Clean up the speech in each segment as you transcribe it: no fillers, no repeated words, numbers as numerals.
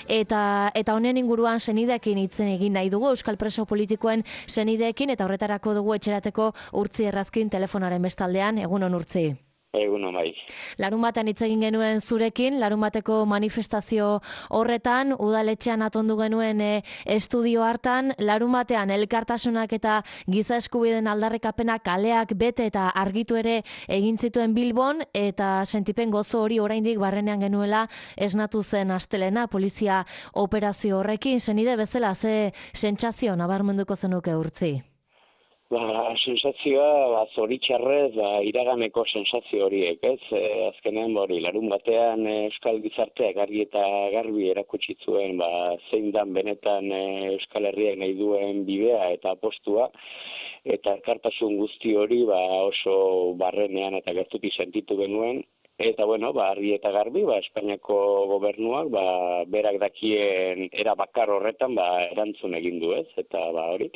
eta honen inguruan senideekin hitzen egin nahi dugu, Euskal Preso Politikoen senideekin, eta horretarako dugu etxerateko Urtzi Errazkin telefonaren bestaldean. Egunon, Urtzi. Egunon, bai. Larunbatean hitz egin genuen zurekin, larunbateko manifestazio horretan, udaletxean atondu genuen estudio hartan, larunbatean elkartasunak eta giza eskubideen aldarrikapenak kaleak bete eta argitu ere egin zituen Bilbon, eta sentipen gozo hori oraindik barrenean genuela esnatu zen astelena polizia operazio horrekin. Senide bezala, ze sentsazio nabarmenduko zenuke, Urtzi? Sensazioa, zoritxarrez, iraganeko sensazio horiek, ez? Azkenean, larun batean Euskal Gizarteak argi eta garbi erakutsi zuen, zein dan benetan Euskal Herriak nahi duen bidea eta apostua, eta elkartasun guzti hori oso barrenean eta gertutik sentitu genuen. Eta, argi eta garbi, Espainiako gobernuak, berak dakien era bakar horretan, erantzun egin du, ez? Eta, hori,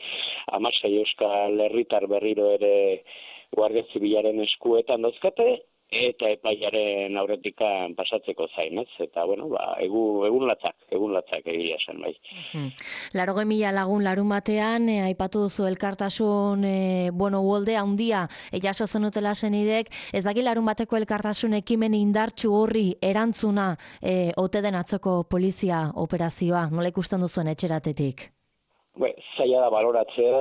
16 Euskal Herritar berriro ere Guardia Zibilaren eskuetan dauzkate, eta epaiaren aurretikan pasatzeko zain, ez? Eta, egun latzak egia esan, bai. 80.000 lagun larun batean, aipatu duzu elkartasun, uholde handia, jaso zenutela senidek, ez daki larun bateko elkartasun ekimen indartsu horri erantzuna ote den atzoko polizia operazioa, nola ikusten duzuen etxeratetik? Zaila da baloratzea,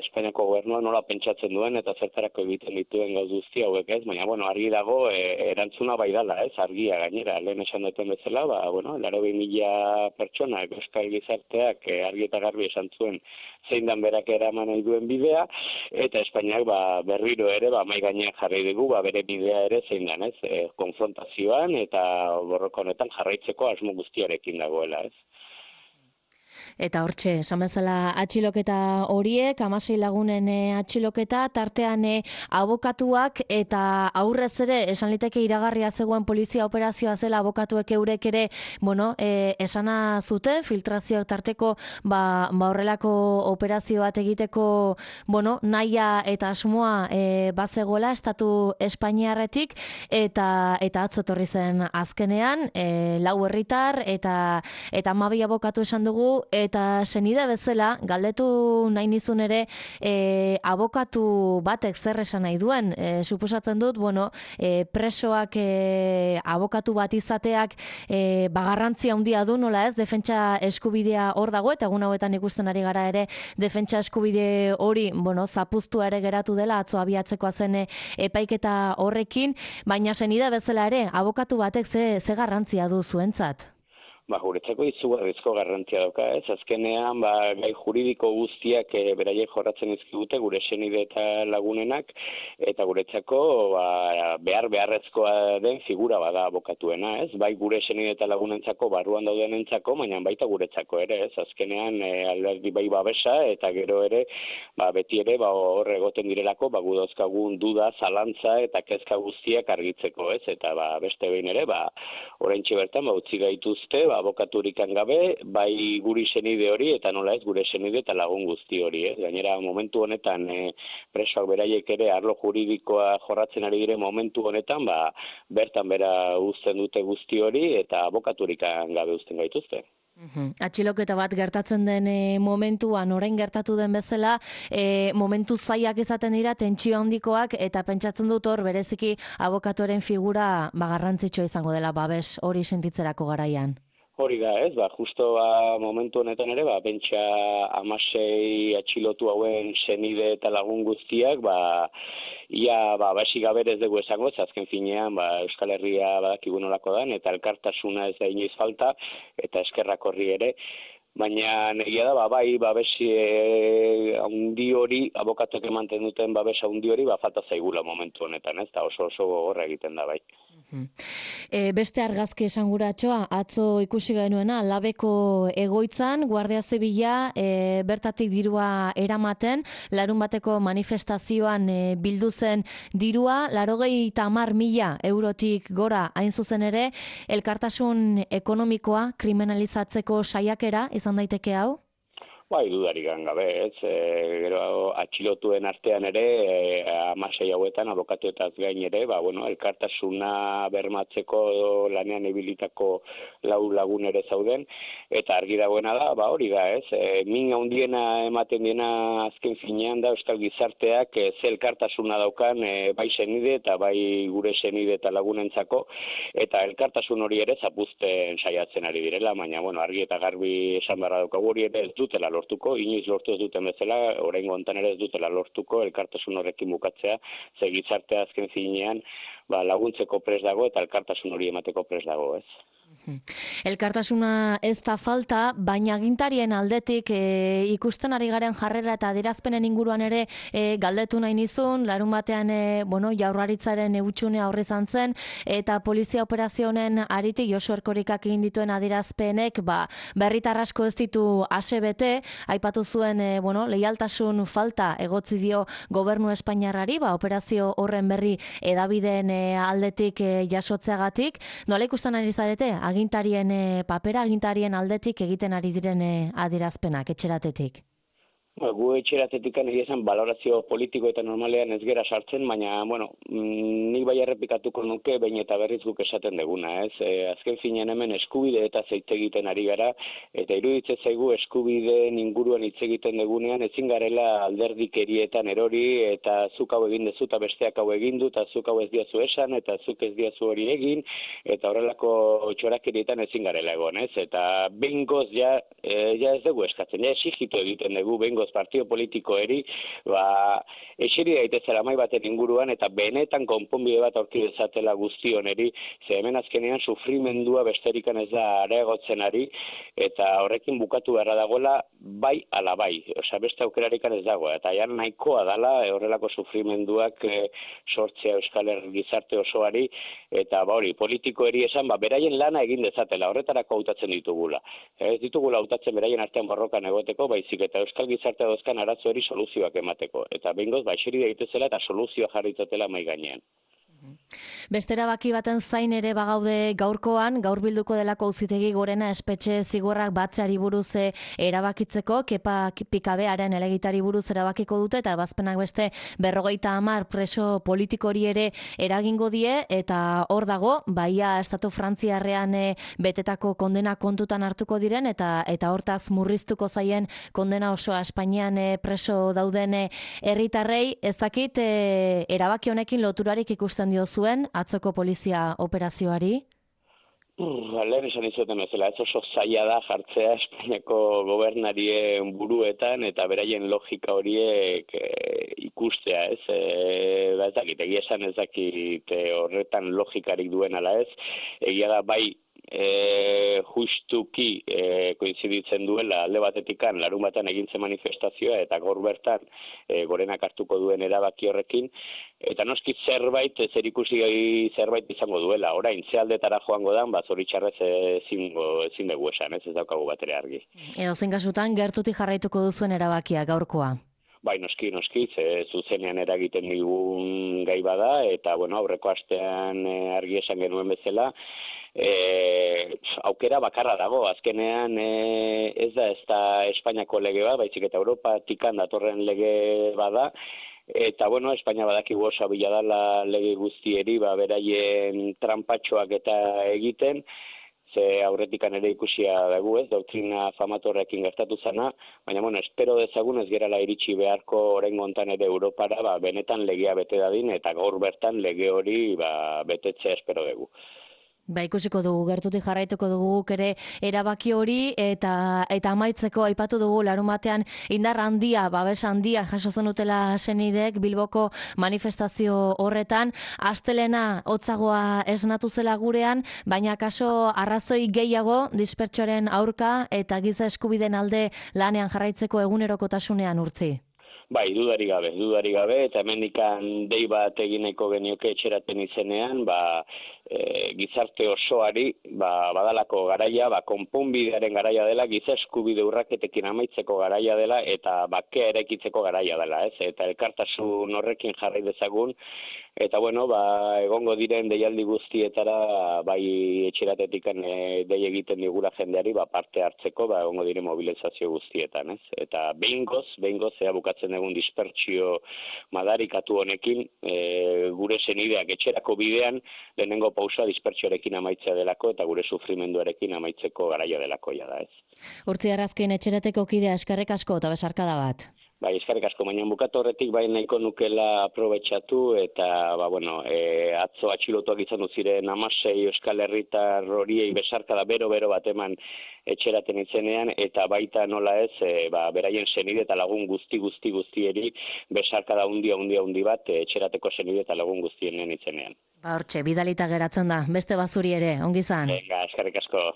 Espainiako gobernuak nola pentsatzen duen eta zertarako egiten dituen gauz guzti hauek, ez? Baina, argi dago erantzuna bai dala, ez? Argia gainera, lehen esan duten bezala, 80.000 pertsonak Euskal Gizarteak argi eta garbi esan zuen zein dan berak eraman nahi duen bidea, eta Espainiak berriro ere mai gainean jarri dugu, bere bidea ere zein dan, ez? Konfrontazioan eta borroka honetan jarraitzeko asmo guztiarekin dagoela, ez? Eta hortxe, esan bezala atxiloketa horiek, 16 lagunen atxiloketa, tartean abokatuak, eta aurrez ere, esan liteke iragarria zegoen polizia operazioa zela abokatuek eurek ere, esana zuten, filtrazioak tarteko, horrelako operazio bat egiteko, nahia eta asmoa bazegoela, estatu espainiarretik, eta atzo etorri zen azkenean, 4 herritar, eta 12 abokatu esan dugu, eta senide bezala, galdetu nahi nizun ere, abokatu batek zer esan nahi duen. Suposatzen dut, presoak abokatu bat izateak garrantzia handia du, nola ez, defentsa eskubidea hor dago, eta egun hauetan ikusten ari gara ere, defentsa eskubide hori, zapuztua ere geratu dela, atzo abiatzekoa zen epaiketa horrekin, baina senide bezala ere, abokatu batek ze garrantzia du zuentzat? Guretzako izugarrizko garrantzia dauka, ez? Azkenean, gai juridiko guztiak beraiek jorratzen izkigute, gure senide eta lagunenak, eta guretzako beharrezkoa den figura bada abokatuena, ez? Bai gure senide eta lagunentzako, barruan daudenentzako, baina baita guretzako ere, ez? Azkenean, alderdi bai babesa, eta gero ere, beti ere, hor egoten direlako, gu dauzkagun duda, zalantza eta kezka guztiak argitzeko, ez? Eta beste behin ere, oraintxe bertan, utzi gaituzte, abokaturikan gabe, bai guri senide hori, eta nola ez gure senide eta lagun guzti hori, ez? Gainera, momentu honetan, presoak beraiek ere arlo juridikoa jorratzen ari dire momentu honetan, bertan bera uzten dute guzti hori, eta abokaturikan gabe uzten gaituzte. Atxiloketa bat gertatzen den momentuan, orain gertatu den bezala, momentu zailak izaten dira, tentsio handikoak, eta pentsatzen dut hor, bereziki abokatoren figura garrantzitsua izango dela, babes hori sentitzerako garaian. Hori da, ez, justo momentu honetan ere, bentsa 16 atxilotu hauen senide eta lagun guztiak, ia basik gabe ez dugu esango, azken finean, Euskal Herria badakigu nolako dan, eta elkartasuna ez da inoiz falta, eta eskerrak horri ere, baina egia da, babesi handi hori, abokatuak emanten duten babesa handi hori, falta zaigula momentu honetan, ez da oso gogorra egiten da, bai. Beste argazki esanguratxoa, atzo ikusi genuena, Labeko egoitzan, Guardia Zibila bertatik dirua eramaten, larun bateko manifestazioan bildu zen dirua, 80.000 eurotik gora hain zuzen ere, elkartasun ekonomikoa kriminalizatzeko saiakera izan daiteke hau? Bai, dudarik gabe, ez. Gero atxilotuen artean ere, 16 hauetan abokatuetaz gain ere, elkartasuna bermatzeko lanean ibilitako 4 lagun ere zauden, eta argi dagoena da, hori da, ez. Min handiena ematen diena azken finean da euskal gizarteak ze elkartasuna daukan bai senide eta bai gure senide eta lagunentzako, eta elkartasun hori ere zapuzten saiatzen ari direla, baina argi eta garbi esan beharra daukagu hori ere ez dutela lortuko, inoiz lortu ez duten bezala, oraingo hontan ere ez dutela lortuko elkartasun horrekin bukatzea, ze gizartea azken finean laguntzeko prest dago eta elkartasun hori emateko prest dago, ez. Elkartasuna ez da falta, baina agintarien aldetik ikusten ari garen jarrera eta adierazpenen inguruan ere galdetu nahi nizun, larun batean Jaurlaritzaren eutxunea horri izan zen, eta polizia operazioen aritik Josu Erkorikak egin dituen adierazpenek berritar asko ez ditu asebete, aipatu zuen leialtasun falta egotzi dio gobernu espainiarrari, operazio horren berri hedabideen aldetik jasotzeagatik. Nola ikusten ari zarete agintarien papera, agintarien aldetik egiten ari diren adierazpenak etxeratetik? Gu etxeratetik egia esan balorazio politiko eta normalean ez gera sartzen, baina, nik bai errepikatuko nuke behin eta berriz guk esaten deguna, ez? Azken finean hemen eskubide eta hitz egiten ari gara, eta iruditzen zaigu eskubideen inguruan hitz egiten degunean ezin garela alderdikerietan erori, eta zuk hau egin dezu eta besteak hau egin du, eta zuk hau ez diazu esan, eta zuk ez diazu hori egin, eta horrelako txorakerietan ezin garela egon, ez? Eta behingoz ja ez dugu eskatzen, ja exigitu egiten dugu behingoz partio politiko eri, eseri daitezela mai baten inguruan eta benetan konponbide bat aurki dezatela guztion eri, ze hemen azkenean sufrimendua besterikan ez da areagotzen ari, eta horrekin bukatu beharra dagoela bai ala bai, beste aukerarikan ez dago, eta jan nahikoa dala horrelako sufrimenduak sortzea Euskal Herri gizarte osoari, eta hori, politiko eri esan, beraien lana egin dezatela, horretarako hautatzen ditugula. Ez ditugula hautatzen beraien artean borrokan egoteko, baizik eta Euskal gizarte dauzkan arazo hori soluzioak emateko. Eta behingoz, eseri daitezela eta soluzioa jarritzatela mai gainean. Beste erabaki baten zain ere bagaude gaurkoan, gaur bilduko delako Auzitegi Gorena espetxe zigorrak batzeari buruz erabakitzeko, Kepa Pikabearen helegiteari buruz erabakiko dute, eta ebazpenak beste 50 preso politikori ere eragingo die, eta hor dago, baia estatu frantziarrean betetako kondena kontutan hartuko diren, eta hortaz murriztuko zaien kondena osoa Espainian preso dauden herritarrei, ezakit erabaki honekin loturarik ikusten dio zuen atzoko polizia operazioari? Lehen esan izuten bezala, ez oso zaila da jartzea Espainiako gobernarien buruetan eta beraien logika horiek ikustea, ez? Ez dakit, egia esan ez dakit horretan logikarik duen ala ez, egia da bai justuki koinziditzen duela alde batetikan larun batan egintzen manifestazioa eta gaur bertan Gorenak hartuko duen erabaki horrekin, eta noski zerbait zerikusi zerbait izango duela. Orain ze aldetara joango dan, zoritxarrez ezin dugu esan, ez daukagu batere argi. Edozein kasutan gertutik jarraituko duzuen erabakia gaurkoa? Bai, noski, zuzenean eragiten digun gai bada, eta aurreko astean argi esan genuen bezala, aukera bakarra dago, azkenean ez da Espainiako lege bat, baizik eta Europatikan datorren lege bada, eta Espainia badakigu oso bila dala lege guztieri, beraien trampatxoak eta egiten, ze aurretikan ere ikusia dugu, ez, doktrina famatorrekin gertatu zana, baina, espero dezagun ez gerala iritsi beharko oraingo hontan ere Europara, benetan legea bete dadin, eta gaur bertan lege hori betetzea espero dugu. Ikusiko dugu, gertutik jarraituko dugu ere erabaki hori, eta amaitzeko aipatu dugu larun batean indar handia, babes handia jaso zenutela senideek Bilboko manifestazio horretan, astelena hotzagoa esnatu zela gurean, baina kaso arrazoi gehiago dispertsoaren aurka eta giza eskubideen alde lanean jarraitzeko egunerokotasunean urtzi. Bai, dudari gabe, eta hemendikan dei bat egin nahiko genioke etxeraten izenean, gizarte osoari badalako garaia, konponbidearen garaia dela, giza eskubide urraketekin amaitzeko garaia dela eta bakea eraikitzeko garaia dela, ez? Eta elkartasun horrekin jarrai dezagun eta bueno, egongo diren deialdi guztietara bai etxeratetik dei egiten digula jendeari parte hartzeko egongo diren mobilizazio guztietan, ez? Eta behingoz ea bukatzen egun dispertsio madarikatu honekin gure senideak etxerako bidean lehenengo pausa dispertsioarekin amaitzea delako eta gure sufrimenduarekin amaitzeko garaia delako da, ez? Urtzi Arrazkin etxerateko kidea eskerrik asko eta besarkada bat. Bai, eskerrik asko, baina bukatu horretik nahiko nukela aprobetxatu eta, atzo atxilotuak izan ziren 16 Euskal Herritar horiei besarkada bero bat eman etxeraten izenean, eta baita nola ez, beraien senide eta lagun guztieri besarkada hundi bat etxerateko senide eta lagun guztienen izenean. Hortxe, bidalita geratzen da, beste bazuri ere, ongi izan. Eskerrik asko.